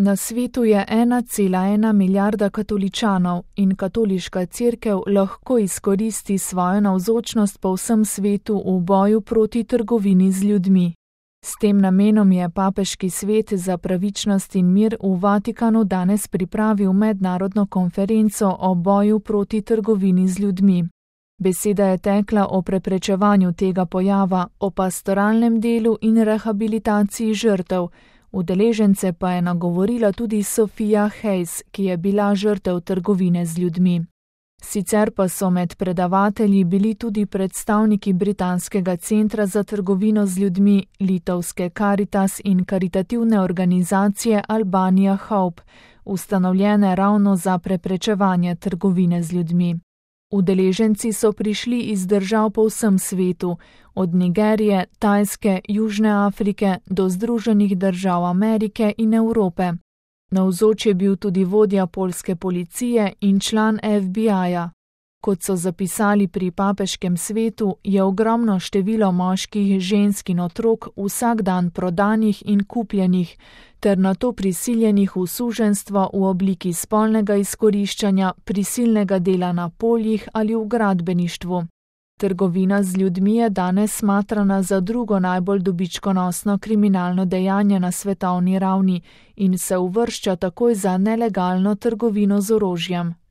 Na svetu je 1,1 milijarda katoličanov in katoliška cerkev lahko izkoristi svojo navzočnost po vsem svetu v boju proti trgovini z ljudmi. S tem namenom je Papeški svet za pravičnost in mir v Vatikanu danes pripravil mednarodno konferenco o boju proti trgovini z ljudmi. Beseda je tekla o preprečevanju tega pojava, o pastoralnem delu in rehabilitaciji žrtev. Udeležence pa je nagovorila tudi Sophia Hayes, ki je bila žrtev trgovine z ljudmi. Sicer pa so med predavatelji bili tudi predstavniki Britanskega centra za trgovino z ljudmi, litovske Caritas in karitativne organizacije Albania Hope, ustanovljene ravno za preprečevanje trgovine z ljudmi. Udeleženci so prišli iz držav po vsem svetu, od Nigerije, Tajske, Južne Afrike do Združenih držav Amerike in Evrope. Navzoč je bil tudi vodja poljske policije in član FBI-ja. Kot so zapisali pri Papeškem svetu, je ogromno število moških, žensk in otrok vsak dan prodanih in kupljenih, ter nato prisiljenih v suženjstvo v obliki spolnega izkoriščanja, prisilnega dela na poljih ali v gradbeništvu. Trgovina z ljudmi je danes smatrana za drugo najbolj dobičkonosno kriminalno dejanje na svetovni ravni in se uvršča takoj za nelegalno trgovino z orožjem.